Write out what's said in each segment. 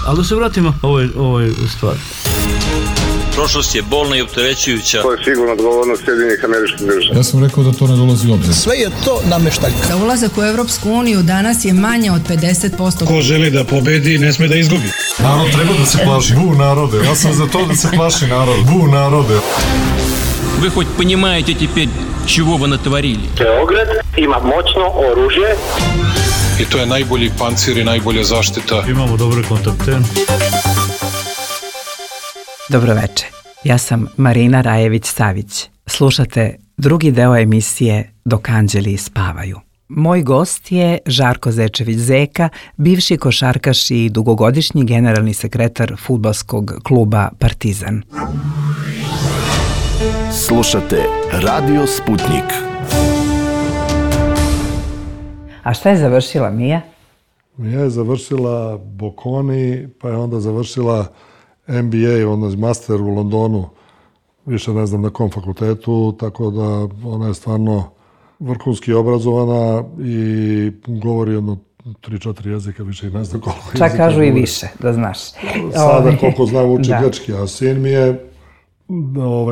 Ali da se vratimo ovoj stvari. Prošlost je bolna i opterećujuća. To je sigurno odgovornost Sjedinjenih Američkih Država. Ja sam rekao da to ne dolazi u obzir. Sve je to nameštaljka. Za ulazak u Evropsku uniju danas je manje od 50%. Ko želi da pobedi, ne sme da izgubi. Narod treba da se plaši. Bu narode. Ja sam za to da se plaši narod. Bu narode. Вы хоть понимаете теперь, чего вы натворили? Beograd ima moćno oružje. I to je najbolji pancir i najbolja zaštita. Imamo dobre kontakte. Dobroveče, ja sam Marina Rajević-Savić. Slušate drugi deo emisije Dok anđeli spavaju. Moj gost je Žarko Zečević-Zeka, bivši košarkaš i dugogodišnji generalni sekretar fudbalskog kluba Partizan. Slušate Radio Sputnik. A šta je završila Mija? Mija je završila Bocconi, pa je onda završila MBA, master u Londonu, više ne znam na kom fakultetu, tako da ona je stvarno vrhunski obrazovana i govori 3-4 jezika, više i ne znam koliko jezika. Čak kažu i više, da znaš. Sada koliko znam uči grčki, a sin mi je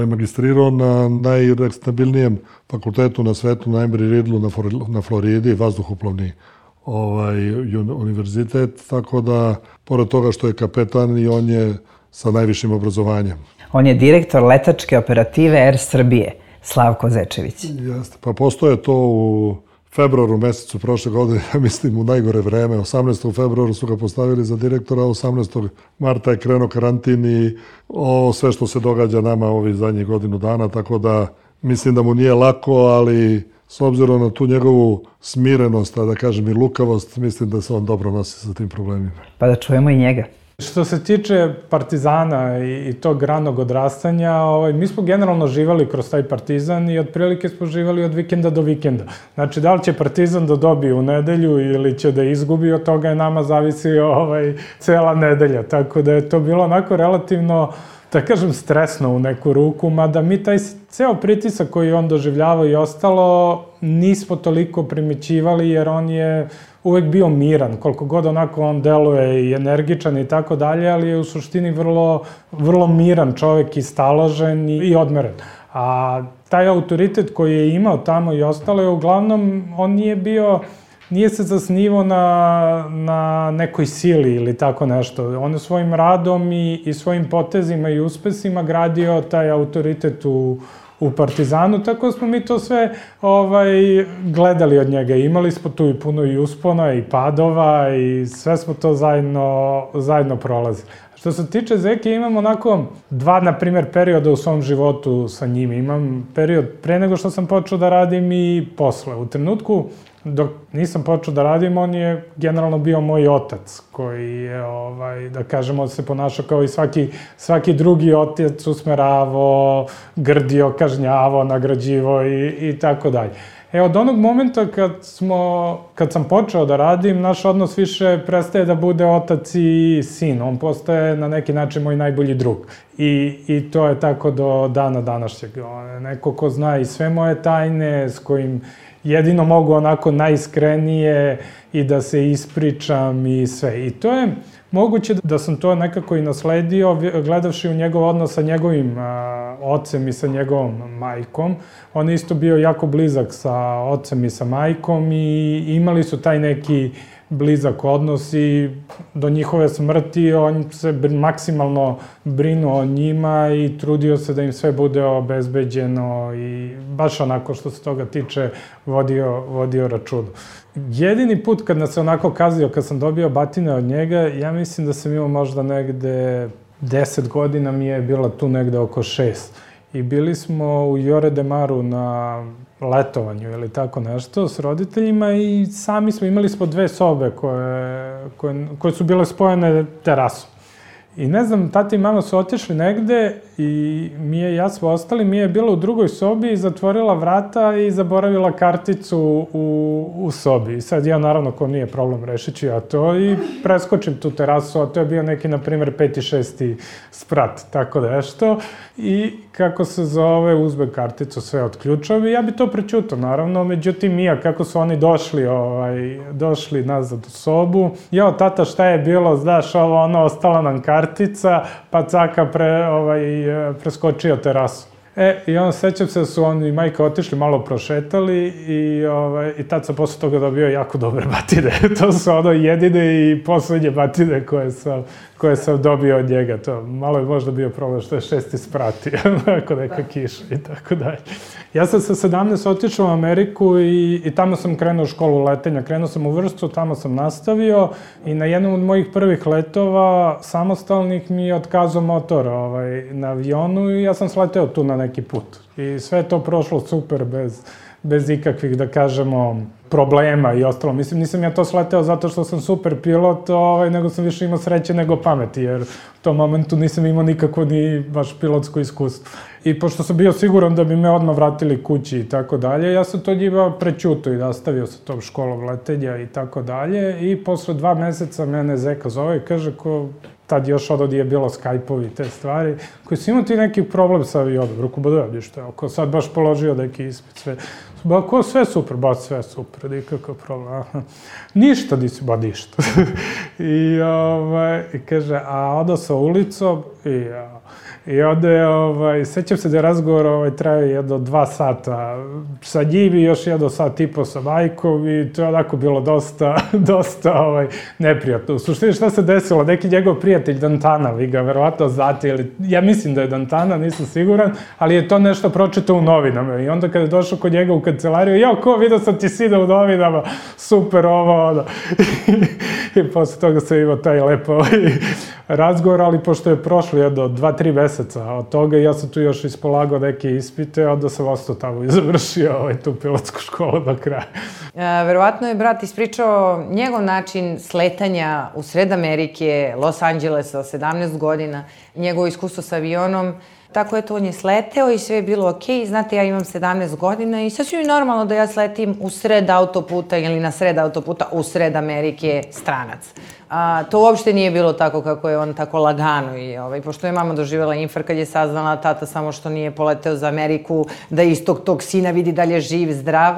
magistrirao na najrespektabilnijem fakultetu na svetu, na Embry-Riddlu na Floridi, vazduhoplovni univerzitet, tako da, pored toga što je kapetan, i on je sa najvišim obrazovanjem. On je direktor letačke operative Air Srbije, Slavko Zečević. Jeste, pa postoje to u februaru mesecu prošle godine, ja mislim u najgore vreme. 18. februaru su ga postavili za direktora, 18. marta je krenuo karantin i sve što se događa nama ovih zadnjih godinu dana, tako da mislim da mu nije lako, ali s obzirom na tu njegovu smirenost, a da kažem i lukavost, mislim da se on dobro nosi sa tim problemima. Pa da čujemo i njega. Što se tiče Partizana i tog ranog odrastanja, mi smo generalno živali kroz taj Partizan i otprilike smo živali od vikenda do vikenda. Znači, da li će Partizan da dobije u nedelju ili će da izgubi, od toga je nama zavisi cela nedelja. Tako da je to bilo onako relativno, da kažem, stresno u neku ruku, mada mi taj ceo pritisak koji on doživljava i ostalo nismo toliko primećivali, jer on je uvek bio miran, koliko god onako on deluje i energičan i tako dalje, ali je u suštini vrlo miran čovek i staložen i odmeren. A taj autoritet koji je imao tamo i ostalo je uglavnom, on nije se zasnivao na nekoj sili ili tako nešto. On je svojim radom i svojim potezima i uspesima gradio taj autoritet u Partizanu, tako da smo mi to sve gledali od njega. Imali smo tu i puno i uspona i padova i sve smo to zajedno prolazili. Što se tiče Zeke, imam onako dva, na primjer, perioda u svom životu sa njim. Imam period pre nego što sam počeo da radim i posle. U trenutku dok nisam počeo da radim, on je generalno bio moj otac, koji je, da kažemo, se ponašao kao i svaki drugi otac, usmeravao, grdio, kažnjavao, nagrađivao i tako dalje. Od onog momenta kad sam počeo da radim, naš odnos više prestaje da bude otac i sin. On postaje na neki način moj najbolji drug. I to je tako do dana današnjeg. Neko ko zna i sve moje tajne, s kojim jedino mogu onako najiskrenije i da se ispričam i sve. I to je moguće da sam to nekako i nasledio, gledavši u njegov odnos sa njegovim ocem i sa njegovom majkom. On je isto bio jako blizak sa ocem i sa majkom i imali su taj neki blizak odnos i do njihove smrti on se maksimalno brinuo o njima i trudio se da im sve bude obezbeđeno i baš onako što se toga tiče vodio računu. Jedini put kad nas se onako kazio, kad sam dobio batine od njega, ja mislim da sam imao možda negde 10 godina, mi je bila tu negde oko 6. I bili smo u Jore de Maru na letovanju ili tako nešto s roditeljima i sami smo, imali smo 2 sobe koje su bile spojene terasom. I ne znam, tata i mama su otišli negde i Mija i ja smo ostali. Mija je bila u drugoj sobi i zatvorila vrata i zaboravila karticu u sobi. I sad ja, naravno, ko nije problem, rešit ću ja to i preskočim tu terasu, a to je bio neki, na primjer, 5. 6. sprat, tako nešto. I kako se zove, uzme karticu, sve od ključevi. Ja bi to prećutao, naravno. Međutim, Mija, kako su oni došli nazad u sobu. Jo, tata, šta je bilo, znaš, ostala nam kartica, pa Caka preskočio terasu. I onda sećam se da su oni i majka otišli, malo prošetali i tad sam posle toga dobio jako dobre batine. To su jedine i poslednje batine koje sam dobio od njega. To malo je možda bio problem što je 6. sprat, ako neka kiša i tako dalje. Ja sam sa 17 otišao u Ameriku i tamo sam krenuo u školu letenja. Krenuo sam u Vršcu, tamo sam nastavio i na jednom od mojih prvih letova samostalnih mi je otkazao motor na avionu i ja sam sleteo tu na neki put. I sve je to prošlo super, bez ikakvih, da kažemo, problema i ostalo. Mislim, nisam ja to sleteo zato što sam super pilot, nego sam više imao sreće nego pameti, jer u tom momentu nisam imao nikako ni baš pilotsko iskustvo. I pošto sam bio siguran da bi me odmah vratili kući i tako dalje, ja sam to njima prećutao i nastavio sa tom školom letenja i tako dalje. I posle 2 meseca mene Zeka zove i kaže tad još nije bilo Skype-ovi i te stvari, koji su imao ti neki problem sa avionom. Rekao, da ništa, ako sad baš položio neki ispit, sve. Sve super, sve super, nikakav problem. Ništa nisi, ništa. I kaže, a onda sa ulicom i onda je, sećam se da je razgovor trajao jedno 2 sata sa njim i još jedno sat i po sa majkom i to je onako bilo dosta neprijatno. U suštini šta se desilo, neki njegov prijatelj Dantana, vi ga verovatno znate, ili ja mislim da je Dantana, nisam siguran, ali je to nešto pročitao u novinama i onda kada je došao kod njega u kancelariju, vidio sam ti sina u novinama, super i posle toga sam imao taj lepo razgovor, ali pošto je prošlo jedno 2-3 meseca od toga i ja sam tu još ispolagao neke ispite, onda sam ostao tamo i završio tu pilotsku školu do kraja. Verovatno je brat ispričao njegov način sletanja u sred Amerike, Los Angelesa, 17 godina, njegovo iskustvo sa avionom. Tako je to, on je sleteo i sve je bilo okej. Znate, ja imam 17 godina i sasvim je normalno da ja sletim u sred autoputa ili na sred autoputa u sred Amerike stranac. To uopšte nije bilo tako kako je on tako lagano i pošto je mama doživjela infarkt kad je saznala tata samo što nije poleteo za Ameriku, da istog tog sina vidi da li je živ, zdrav.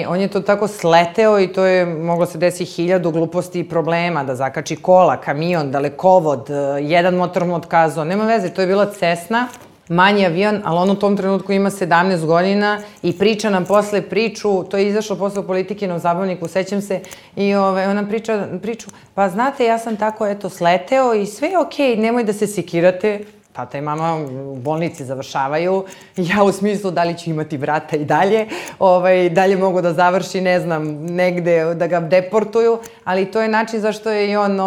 On je to tako sleteo i to je moglo se desiti 1000 gluposti i problema, da zakači kola, kamion, dalekovod, jedan motor mu otkazao, nema veze, to je bila Cessna, manji avion, ali on u tom trenutku ima 17 godina i priča nam posle priču, to je izašlo posle u Politikinom zabavniku, sećam se, i ona priču, pa znate, ja sam tako, sleteo i sve je okej, nemoj da se sekirate, tata i mama u bolnici završavaju, ja u smislu da li ću imati brata i dalje mogu da završi, ne znam, negde da ga deportuju, ali to je način zašto je i on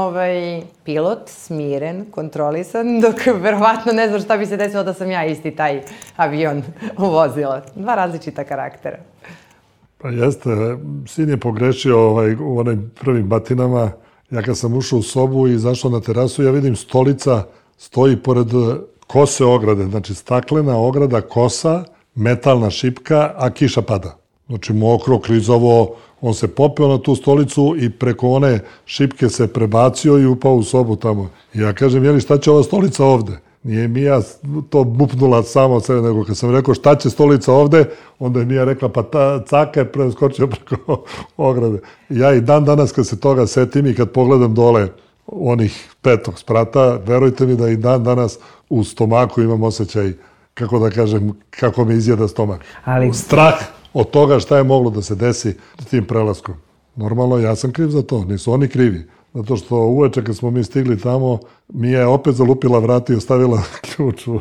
pilot, smiren, kontrolisan, dok verovatno ne znam šta bi se desilo da sam ja isti taj avion vozila. 2 različita karaktera. Pa jeste, sin je pogrešio u onim prvim batinama. Ja kad sam ušao u sobu i izašao na terasu, ja vidim stolica stoji pored kose ograde, znači staklena ograda, kosa, metalna šipka, a kiša pada. Znači mokro, klizavo, on se popeo na tu stolicu i preko one šipke se prebacio i upao u sobu tamo. I ja kažem, jeli šta će ova stolica ovde? Nije Mija to bupnula samo od sebe, nego kad sam rekao šta će stolica ovde, onda je Mija rekla, pa Caka je preskočio preko ograde. Ja i dan danas kad se toga setim i kad pogledam dole onih 5. sprata, verujte mi da i dan danas u stomaku imam osjećaj, kako da kažem, kako me izjeda stomak. Strah od toga šta je moglo da se desi tim prelaskom. Normalno, ja sam kriv za to, nisu oni krivi. Zato što uveče kad smo mi stigli tamo, Mija je opet zalupila vrata i ostavila ključ u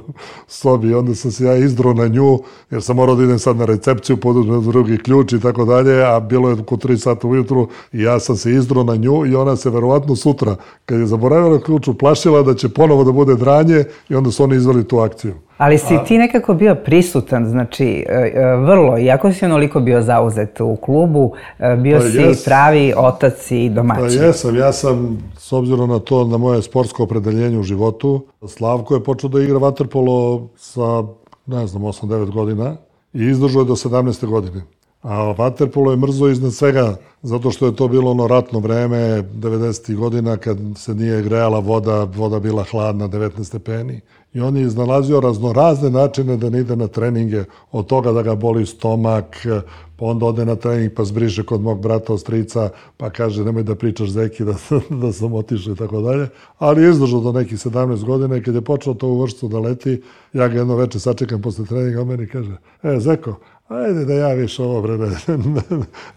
sobi. I onda sam se ja izdro na nju, jer sam morao da idem sad na recepciju, poduzmem drugi ključ i tako dalje, a bilo je oko 3 sata ujutru i ja sam se izdro na nju i ona se verovatno sutra, kad je zaboravila ključ, uplašila da će ponovo da bude dranje i onda su oni izveli tu akciju. Ali si ti nekako bio prisutan, znači vrlo, iako si onoliko bio zauzet u klubu, bio si pravi otac i domaćin. Pa ja sam, s obzirom na to, na moje sportsko opredeljenje u životu, Slavko je počeo da igra vaterpolo sa, ne znam, 8-9 godina i izdržao je do 17. godine. A vaterpolo je mrzo iznad svega, zato što je to bilo ono ratno vreme, 90. godina, kad se nije grejala voda bila hladna, 19 stepeni. I on je iznalazio raznorazne načine da ne ide na treninge, od toga da ga boli stomak, pa onda ode na trening pa zbriše kod mog brata od strica, pa kaže nemoj da pričaš Zeki da sam otišao i tako dalje. Ali je izdržao do nekih 17 godina i kad je počeo to u vršcu da leti, ja ga jedno veče sačekam posle treninga, on meni kaže, Zeko, ajde da ja više ovo, bre,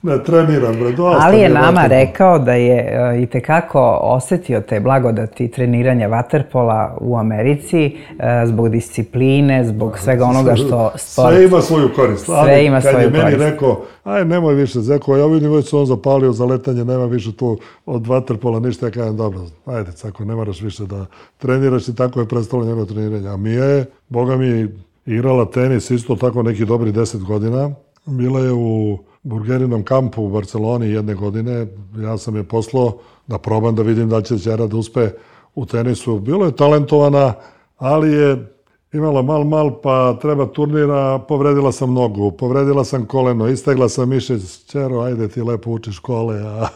ne treniram, bre, dosta. Ali je nama rekao da je itekako osetio te blagodati treniranja vaterpola u Americi zbog discipline, zbog svega onoga što sport... Sve ima svoju korist. Sve ima svoju korist. Kad je meni rekao, aj nemoj više, Zeko, ja vidim već se on zapalio za letanje, nema više tu od vaterpola ništa, ja kažem, dobro, ajde, Cako, ne moraš više da treniraš i tako je prestalo njegovo treniranje. A Mija je, boga mi, igrala tenis isto tako neki dobri 10 godina. Bila je u burgerinom kampu u Barceloni jedne godine. Ja sam je poslao da probam da vidim da će ćera da uspe u tenisu. Bilo je talentovana, ali je imala mal, pa treba turnira, povredila sam nogu, povredila sam koleno, istegla sam mišić, ćero, ajde ti lepo učiš škole, a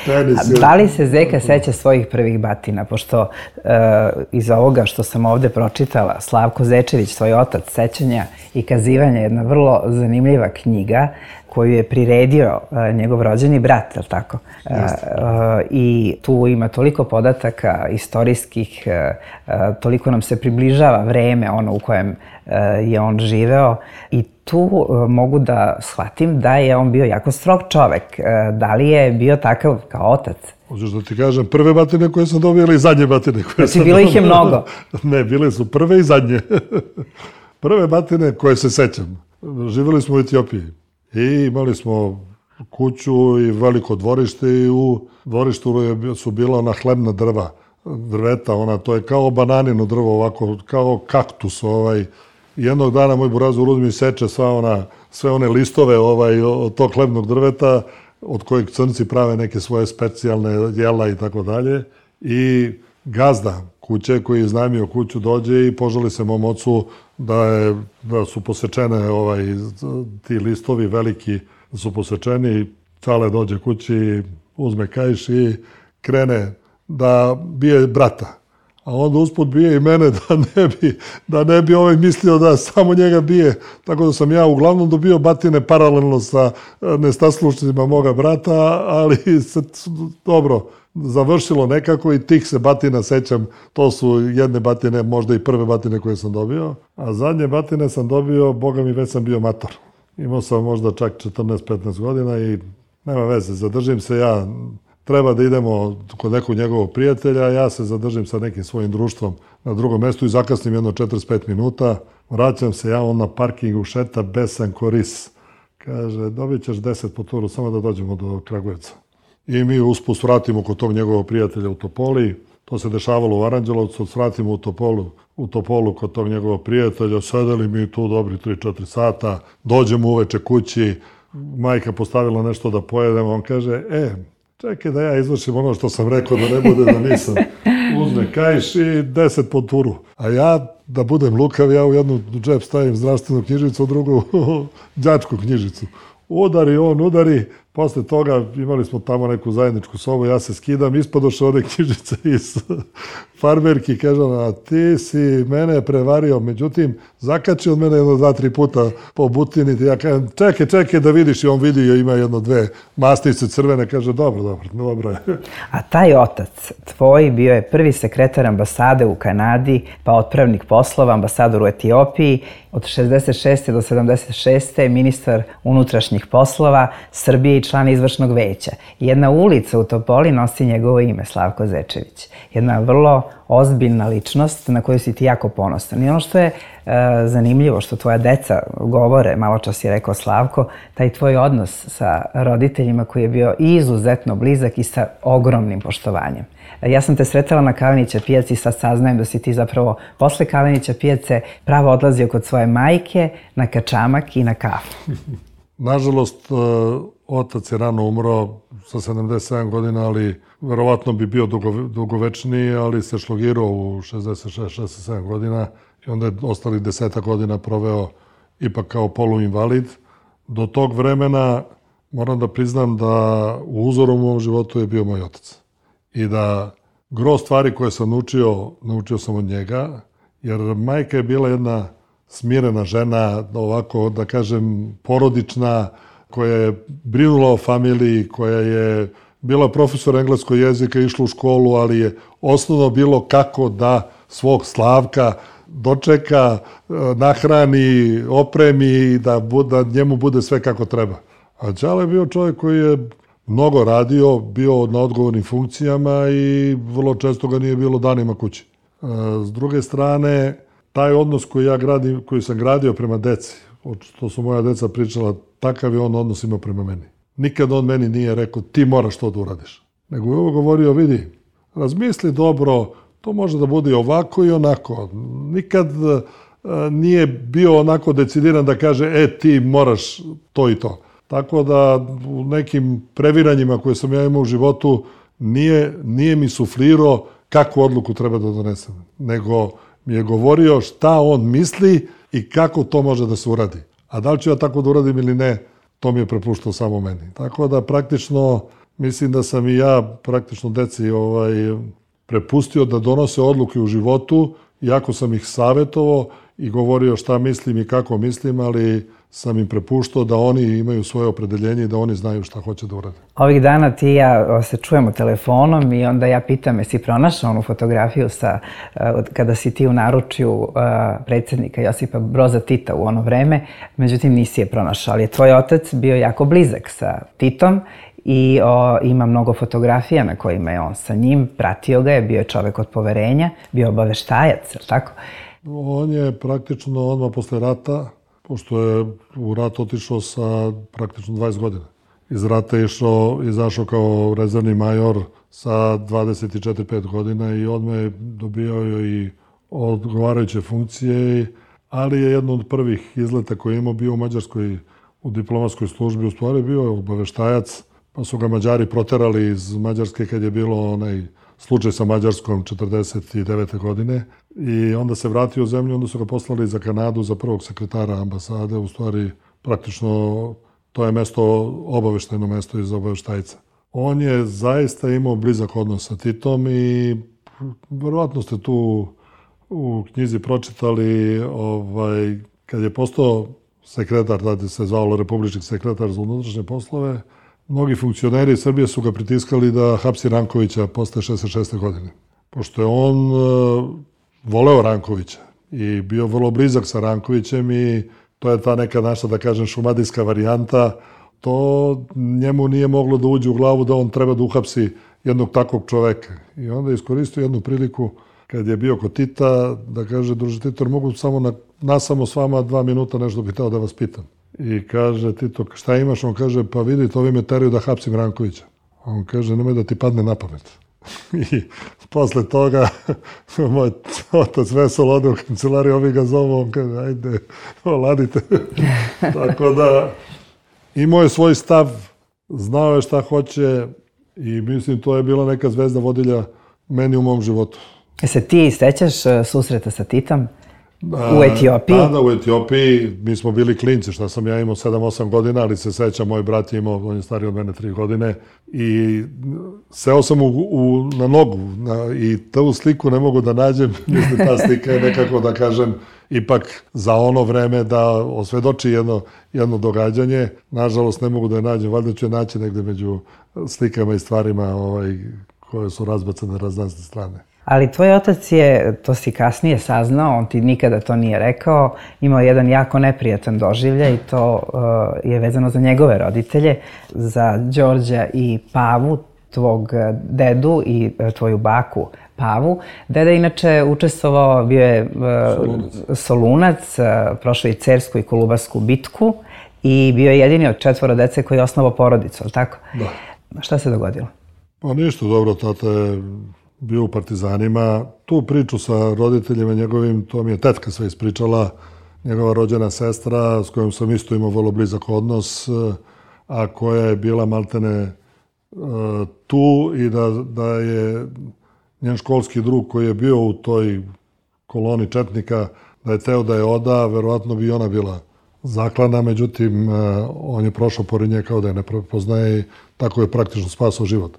tenis je... Da li se Zeka seća svojih prvih batina? Pošto iz ovoga što sam ovde pročitala, Slavko Zečević, svoj otac, sećanja i kazivanja, jedna vrlo zanimljiva knjiga koju je priredio njegov rođeni brat, je li tako? I tu ima toliko podataka istorijskih, toliko nam se približava vreme ono u kojem je on živeo i tu mogu da shvatim da je on bio jako strog čovek. Da li je bio takav kao otac? Hoćeš da ti kažem, prve batine koje sam dobio ili zadnje batine koje sam dobio? Bilo ih je mnogo. Ne, bile su prve i zadnje. Prve batine koje se sećam. Živjeli smo u Etiopiji. I imali smo kuću i veliko dvorište i u dvorištu su bila ona hlebna drveta, to je kao bananino drvo, ovako, kao kaktus. Jednog dana moj burazur uzme i seče sve one listove od tog hlebnog drveta, od kojeg crnci prave neke svoje specijalne jela i tako dalje. I gazda kuće koji je iznajmio kuću dođe i požali se mom ocu da su posečene ti listovi veliki, da su posečeni. Čale dođe kući, uzme kaiš i krene da bije brata. A onda usput bije i mene da ne bi mislio da samo njega bije. Tako da sam ja uglavnom dobio batine paralelno sa nestaslušnicima moga brata, ali se dobro završilo nekako i tih se batina sećam. To su jedne batine, možda i prve batine koje sam dobio. A zadnje batine sam dobio, boga mi, već sam bio mator. Imao sam možda čak 14-15 godina i nema veze, zadržim se ja. Treba da idemo kod nekog njegovog prijatelja, ja se zadržim sa nekim svojim društvom na drugom mestu i zakasnim jedno 45 minuta. Vraćam se, ja on na parkingu šeta besan koris. Kaže, dobit ćeš 10 po turu, samo da dođemo do Kragujevca. I mi usput vratimo kod tog njegovog prijatelja u Topoli. To se dešavalo u Aranđelovcu, vratimo u Topolu kod tog njegovog prijatelja. Sedeli mi tu dobri 3-4 sata, dođemo uveče kući, majka postavila nešto da pojedemo, on kaže, čekaj da ja izvršim ono što sam rekao, da ne bude da nisam. Uzme kaiš i 10 po turu. A ja, da budem lukav, ja u jednu džep stavim zdravstvenu knjižicu, u drugu đačku knjižicu. Udari, on udari. Posle toga imali smo tamo neku zajedničku sobu, ja se skidam, ispadoše one knjižice iz farmerki, kažem, a ti si mene prevario, međutim, zakači od mene 2-3 puta po butini, ja kažem, čekaj da vidiš, i on vidi, ima 1-2 masnice crvene, kaže, dobro je. A taj otac tvoj bio je prvi sekretar ambasade u Kanadi, pa otpravnik poslova, ambasador u Etiopiji, od 66. do 76. ministar unutrašnjih poslova Srbije i i član izvršnog veća. Jedna ulica u Topoli nosi njegovo ime, Slavko Zečević. Jedna vrlo ozbiljna ličnost na koju si ti jako ponosan. I ono što je zanimljivo, što tvoja deca govore, malo čas je rekao Slavko, taj tvoj odnos sa roditeljima koji je bio izuzetno blizak i sa ogromnim poštovanjem. Ja sam te sretala na Kalenića pijaci i sad saznajem da si ti zapravo posle Kalenića pijace pravo odlazio kod svoje majke na kačamak i na kafu. Nažalost, otac je rano umro sa 77 godina, ali verovatno bi bio dugovečniji, ali se šlogirao u 66-67 godina i onda je ostalih 10 godina proveo ipak kao poluinvalid. Do tog vremena moram da priznam da u uzoru u mom životu je bio moj otac. I da gro stvari koje sam naučio sam od njega, jer majka je bila jedna smirena žena, ovako da kažem porodična, koja je brinula o familiji, koja je bila profesor engleskog jezika, išla u školu, ali je osnovno bilo kako da svog Slavka dočeka, nahrani, opremi i da njemu bude sve kako treba. A Đale je bio čovjek koji je mnogo radio, bio na odgovornim funkcijama i vrlo često ga nije bilo danima kući. S druge strane, taj odnos koji sam gradio prema deci, što su moja deca pričala, takav je on odnos imao prema meni. Nikad on meni nije rekao ti moraš to da uradiš. Nego je ovo govorio, vidi, razmisli dobro, to može da bude i ovako i onako. Nikad nije bio onako decidiran da kaže ti moraš to i to. Tako da u nekim previranjima koje sam ja imao u životu nije mi suflirao kakvu odluku treba da donesem. Nego mi je govorio šta on misli i kako to može da se uradi. A da li ću ja tako da uradim ili ne, to mi je prepuštao samo meni. Tako da praktično mislim da sam i ja praktično deci prepustio da donose odluke u životu, iako sam ih savjetovao i govorio šta mislim i kako mislim, ali sam im prepuštao da oni imaju svoje opredeljenje i da oni znaju šta hoće da urade. Ovih dana ti i ja se čujemo telefonom i onda ja pitam, jesi pronašao onu fotografiju kada si ti u naručju predsjednika Josipa Broza Tita u ono vreme, međutim nisi je pronašao, ali je tvoj otac bio jako blizak sa Titom i ima mnogo fotografija na kojima je on sa njim, pratio ga je, bio je čovek od poverenja, bio obaveštajac, je li tako? On je praktično odmah posle rata, pošto je u rat otišao sa praktično 20 godina. Iz rata je izašao kao rezervni major sa 24-5 godina i odmah je dobijao i odgovarajuće funkcije, ali je jedno od prvih izleta koje je imao bio u Mađarskoj, u diplomatskoj službi, u stvari bio je obaveštajac, pa su ga Mađari proterali iz Mađarske kad je bilo onaj slučaj sa Mađarskom 49. godine i onda se vratio u zemlju, onda su ga poslali za Kanadu za prvog sekretara ambasade, u stvari praktično to je obaveštajno mesto iz obaveštajca. On je zaista imao blizak odnos sa Titom i verovatno ste tu u knjizi pročitali kad je postao sekretar, tada se zvalo republički sekretar za unutrašnje poslove, mnogi funkcioneri Srbije su ga pritiskali da hapsi Rankovića posle 66. godine. Pošto je on voleo Rankovića i bio vrlo blizak sa Rankovićem i to je ta neka naša, da kažem, šumadijska varijanta, to njemu nije moglo da uđe u glavu da on treba da uhapsi jednog takvog čoveka. I onda je iskoristio jednu priliku kad je bio kod Tita da kaže, druže Tito, mogu samo s vama 2 minuta nešto bih hteo da vas pitam. I kaže Tito, šta imaš? On kaže, pa vidite, ovi me teraju da hapsim Rankovića. On kaže, nemoj da ti padne na pamet. I posle toga moj otac veselo ode u kancelariju, ovi ga zovu, on kaže, ajde, oladite. Tako da imao je svoj stav, znao je šta hoće i mislim to je bila neka zvezda vodilja meni u mom životu. Se ti sećaš susreta sa Titom u Etiopiji? Da, u Etiopiji. Mi smo bili klinci, šta sam ja imao 7-8 godina, ali se sećam, moj brat je imao, on je stariji od mene 3 godine i seo sam na nogu i tu sliku ne mogu da nađem. Mislim, ta slika je nekako, da kažem, ipak za ono vreme da osvedoči jedno događanje. Nažalost, ne mogu da je nađem, valjda ću je naći negde među slikama i stvarima koje su razbacane na razne strane. Ali tvoj otac je, to si kasnije saznao, on ti nikada to nije rekao, imao jedan jako neprijatan doživljaj i to je vezano za njegove roditelje, za Đorđa i Pavu, tvog dedu i tvoju baku Pavu. Deda je inače učestvovao, bio je Solunac, prošao i Cersku i Kolubarsku bitku i bio je jedini od 4 dece koji je osnovao porodicu, ali tako? Da. Šta se dogodilo? Pa ništa, dobro, tata je bio u Partizanima. Tu priču sa roditeljima njegovim, to mi je tetka sve ispričala, njegova rođena sestra s kojom sam isto imao vrlo blizak odnos, a koja je bila maltene tu i da je njen školski drug koji je bio u toj koloni četnika, da je teo da je oda, verovatno bi ona bila zaklana, međutim, on je prošao pored nje kao da je ne prepoznaje i tako je praktično spasao život.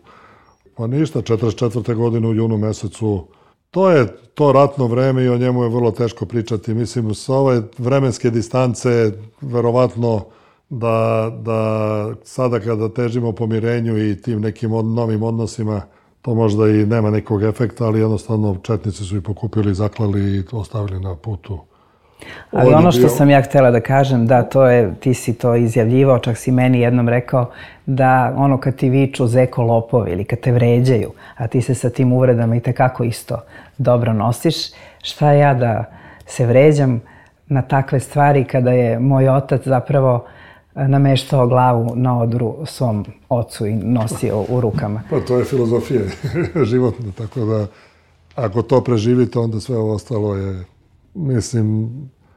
Pa ništa, 44. godine u junu mesecu, to je to ratno vreme i o njemu je vrlo teško pričati. Mislim, sa ove vremenske distance, verovatno da sada kada težimo pomirenju i tim nekim novim odnosima, to možda i nema nekog efekta, ali jednostavno četnici su i pokupili, zaklali i ostavili na putu. Ali ono što sam ja htjela da kažem, da, ti si to izjavljivao, čak si meni jednom rekao da ono kad ti viču zeko lopovi ili kad te vređaju, a ti se sa tim uvredama i tekako isto dobro nosiš, šta ja da se vređam na takve stvari kada je moj otac zapravo nameštao glavu na odru svom ocu i nosio u rukama. Pa to je filozofija životna, tako da ako to preživite, onda sve ovo ostalo je, mislim,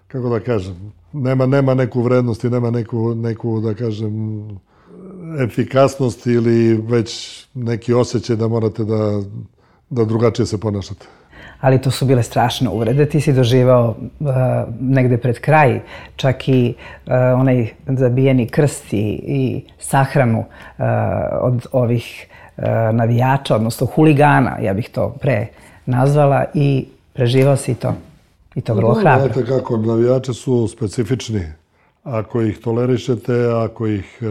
kako da kažem, nema neku vrednost i nema neku, da kažem, efikasnost ili već neki osjećaj da morate da drugačije se ponašate. Ali to su bile strašne uvrede. Ti si doživao negde pred kraj čak i onaj zabijeni krst i sahranu od ovih navijača, odnosno huligana, ja bih to pre nazvala, i preživao si to. I to vrlo hrabro. Znate kako, navijači su specifični. Ako ih tolerišete, ako ih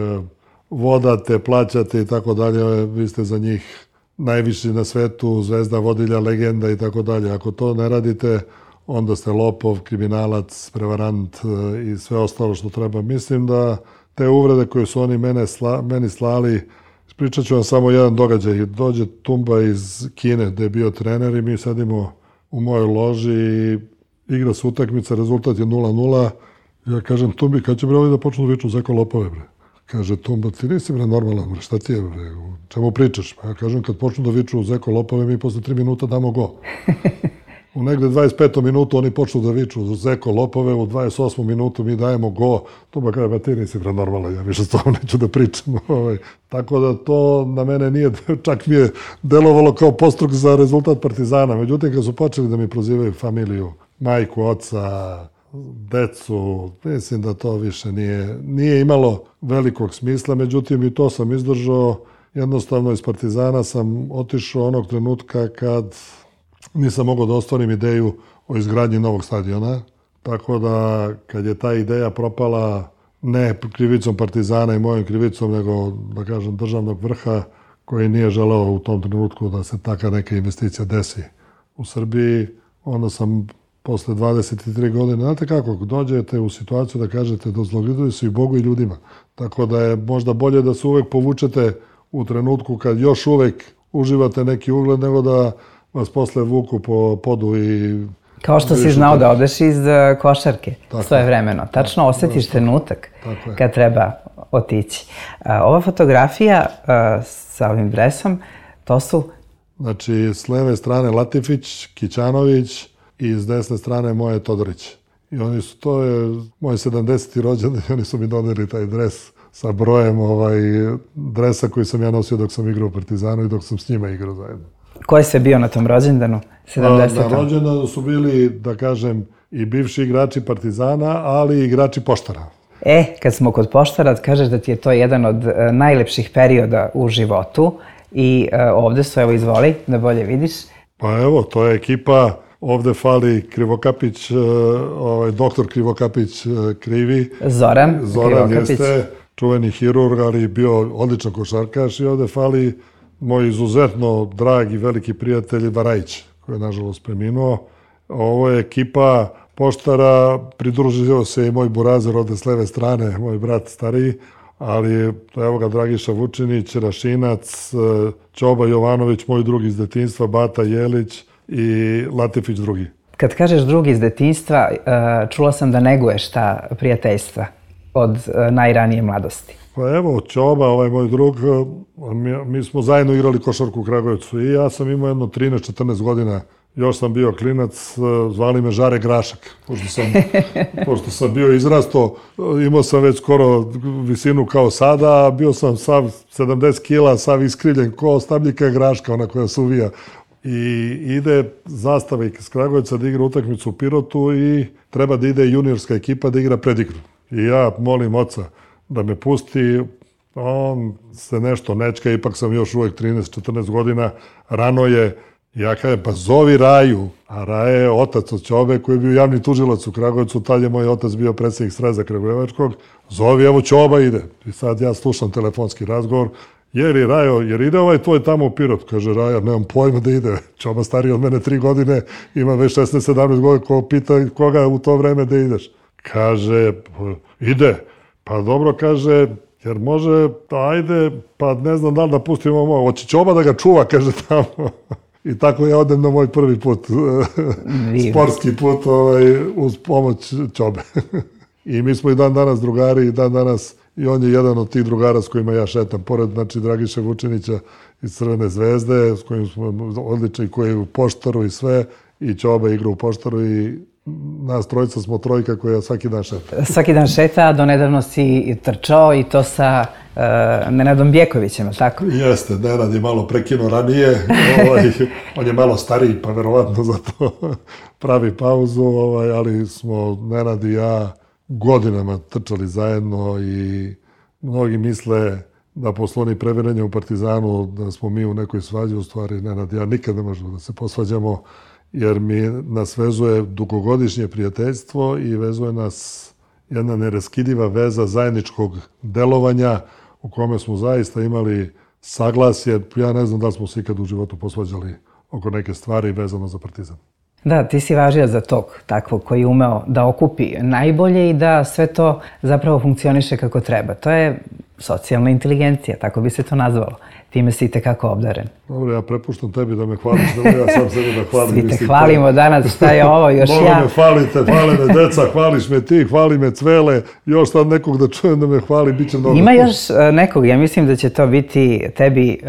vodate, plaćate i tako dalje, vi ste za njih najviši na svetu, zvezda, vodilja, legenda i tako dalje. Ako to ne radite, onda ste lopov, kriminalac, prevarant i sve ostalo što treba. Mislim da te uvrede koje su oni meni slali, ispričat ću vam samo jedan događaj. Dođe Tumba iz Kine gde je bio trener i mi sedimo u mojoj loži i igra se utakmica, rezultat je 0-0. Ja kažem Tumbi, kad će bre ovi da počnu da viču zeko lopove, bre? Kaže Tumba, ti nisi bre normalan, bre, šta ti je, bre, čemu pričaš? Pa ja kažem, kad počnu da viču zeko lopove, mi posle 3 minuta damo go. U negde 25. minutu oni počnu da viču zeko lopove, u 28. minutu mi dajemo go. Tumba kaže, ba ti nisi bre normalan, ja više s tobom neću da pričam. Tako da to na mene nije, čak mi je delovalo kao postruk za rezultat Partizana. Međutim, kad su počeli da mi prozivaju familiju, majku, oca, decu, mislim da to više nije imalo velikog smisla, međutim i to sam izdržao. Jednostavno iz Partizana sam otišao onog trenutka kad nisam mogao da ostvarim ideju o izgradnji novog stadiona, tako da kad je ta ideja propala ne krivicom Partizana i mojom krivicom, nego da kažem državnog vrha koji nije želeo u tom trenutku da se taka neka investicija desi u Srbiji, onda sam posle 23 godine, znate kako, dođete u situaciju da kažete da zlogledaju se i Bogu i ljudima. Tako da je možda bolje da se uvek povučete u trenutku kad još uvek uživate neki ugled, nego da vas posle vuku po podu i... Kao što si znao da odeš iz košarke svojevremeno. Tačno osjetiš trenutak kad treba otići. Ova fotografija sa ovim dresom, to su... Znači, s leve strane Latifić, Kićanović, i s desne strane moje Todorić. I oni su, to je moj 70. rođendan i oni su mi doneli taj dres sa brojem dresa koji sam ja nosio dok sam igrao u Partizanu i dok sam s njima igrao zajedno. Ko je sve bio na tom rođendanu? 70. Na rođendanu su bili, da kažem, i bivši igrači Partizana, ali i igrači Poštara. Kad smo kod Poštara, kažeš da ti je to jedan od najlepših perioda u životu i ovde su, evo izvoli, da bolje vidiš. Pa evo, to je ekipa. Ovde fali Krivokapić, doktor Krivokapić Krivi. Zoran Krivokapić. Jeste čuveni hirurg, ali bio odličan košarkaš i ovde fali moj izuzetno dragi veliki prijatelj Varajić, koji je nažalost preminuo. Ovo je ekipa Poštara, pridružio se i moj burazer ovde s leve strane, moj brat stariji, ali evo ga Dragiša Vučinić, Rašinac, Ćoba Jovanović, moj drugi iz detinjstva, Bata Jelić i Latifić drugi. Kad kažeš drugi iz detinjstva, čula sam da neguješ ta prijateljstva od najranije mladosti. Pa evo, Ćoba, ovaj moj drug, mi smo zajedno igrali košarku u Kragujevcu i ja sam imao jedno 13-14 godina. Još sam bio klinac, zvali me Žare Grašak, pošto sam bio izrasto, imao sam već skoro visinu kao sada, bio sam sav 70 kila, sav iskrivljen ko stabljika Graška, ona koja se uvija. I ide zastava iz Kragujevca da igra utakmicu u Pirotu i treba da ide juniorska ekipa da igra predigru. I ja molim oca da me pusti, on se nešto nečka, ipak sam još uvek 13-14 godina, rano je. Ja kažem, pa zovi Raju, a Raja je otac od Ćobe koji je bio javni tužilac u Kragujevcu, tad je moj otac bio predsjednik Sreza Kragujevačkog, zovi, evo Ćoba ide. I sad ja slušam telefonski razgovor, jer ide ovaj tvoj tamo u Pirot? Kaže Raja, nemam pojma da ide. Ćoba stariji od mene 3 godine, ima već 16-17 godina, ko pita koga u to vreme da ideš. Kaže, ide. Pa dobro, kaže, jer može, ajde, pa ne znam da li da pustimo ovo. Hoće Ćoba da ga čuva, kaže tamo. I tako ja odem na moj prvi put, sportski put, uz pomoć Ćobe. I mi smo i dan danas drugari, i dan danas, i on je jedan od tih drugara s kojima ja šetam, pored, znači, Dragiša Vučinića iz Crvene zvezde, s kojim smo odlični, koji je u Poštaru i sve, i Ćoba igra u Poštaru i nas trojica smo trojka koja svaki dan šeta. Svaki dan šeta, do nedavno si trčao i to sa Nenadom Bjekovićem, tako? Jeste, Nenad je malo prekinuo ranije, on je malo stariji, pa verovatno zato pravi pauzu, ali smo Nenad i ja godinama trčali zajedno i mnogi misle da posle onih previranja u Partizanu, da smo mi u nekoj svađi, u stvari Nenad i ja nikad ne možemo da se posvađamo, jer nas vezuje dugogodišnje prijateljstvo i vezuje nas jedna neraskidiva veza zajedničkog delovanja u kome smo zaista imali saglasje. Ja ne znam da li smo se ikad u životu posvađali oko neke stvari vezano za Partizan. Da, ti si važio za tog takvog koji je umeo da okupi najbolje i da sve to zapravo funkcioniše kako treba. To je socijalna inteligencija, tako bi se to nazvalo. Time si itekako obdaren. Dobro, ja prepuštam tebi da me hvališ, da ja sam sebe da hvalim. Svi te hvalimo danas, šta je ovo, još ja. Mnogo me hvalite, hvale me deca, hvališ me ti, hvali me Cvele, još sad nekog da čujem da me hvali, bit će mnogo. Ima još nekog, ja mislim da će to biti tebi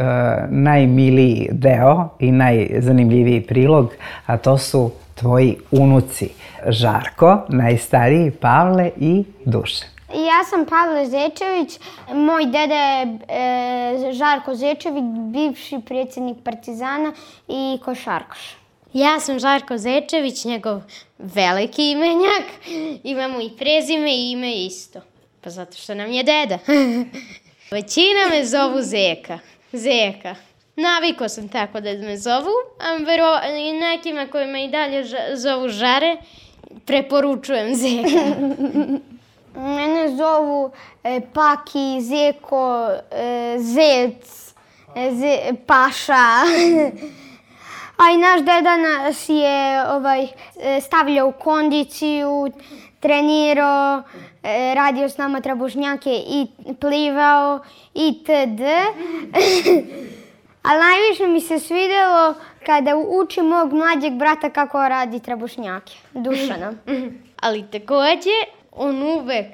najmiliji deo i najzanimljiviji prilog, a to su tvoji unuci. Žarko, najstariji, Pavle i Dušan. Ja sam Pavle Zečević, moj deda je Žarko Zečević, bivši predsjednik Partizana i košarkaš. Ja sam Žarko Zečević, njegov veliki imenjak, imamo i prezime i ime isto, pa zato što nam je deda. Većina me zovu Zeka. Navikao sam tako da me zovu, a nekima koji me i dalje zovu Žare, preporučujem Zeka. Mene zovu Paki, Zeko, Zec, Paša. A i naš deda nas je stavljao u kondiciju, trenirao, radio s nama trabušnjake i plivao itd. Ali najviše mi se svidjelo kada uči mog mlađeg brata kako radi trabušnjake, Dušana. Ali također, on uvek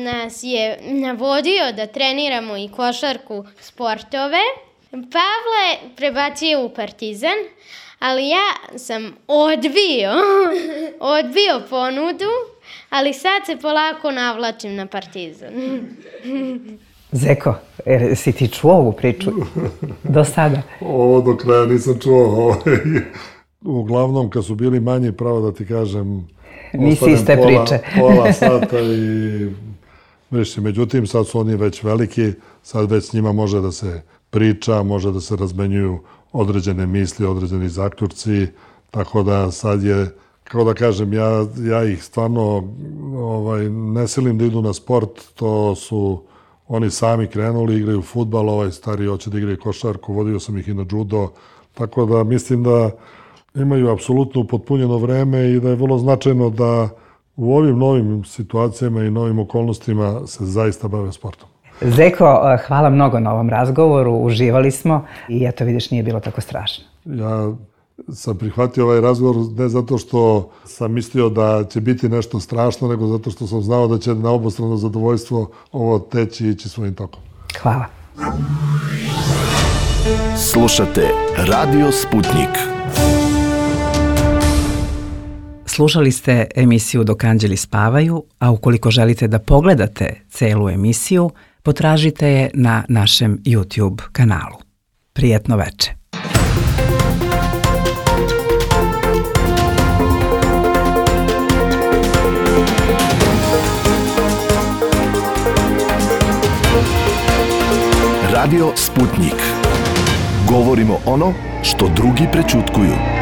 nas je navodio da treniramo i košarku, sportove. Pavle prebacio u Partizan, ali ja sam odbio ponudu, ali sad se polako navlačim na Partizan. Zeko, si ti čuo ovu priču do sada? Ovo do kraja nisam čuo. Uglavnom, kad su bili manji, pravo da ti kažem, nisi iste priče. Pola sata i... Međutim, sad su oni već veliki, sad već s njima može da se priča, može da se razmenjuju određene misli, određeni zaključci, tako da sad je, kao da kažem, ja ih stvarno ne silim da idu na sport, to su oni sami krenuli, igraju fudbal, ovaj stari hoće da igraju košarku, vodio sam ih i na judo, tako da mislim da imaju apsolutno upotpunjeno vreme i da je vrlo značajno da u ovim novim situacijama i novim okolnostima se zaista bave sportom. Zeko, hvala mnogo na ovom razgovoru, uživali smo i eto vidiš, nije bilo tako strašno. Ja sam prihvatio ovaj razgovor ne zato što sam mislio da će biti nešto strašno, nego zato što sam znao da će na obostrano zadovoljstvo ovo teći i ići svojim tokom. Hvala. Slušate Radio Sputnik. Slušali ste emisiju Dok anđeli spavaju, a ukoliko želite da pogledate celu emisiju, potražite je na našem YouTube kanalu. Prijetno veče. Radio Sputnik. Govorimo ono što drugi prećutkuju.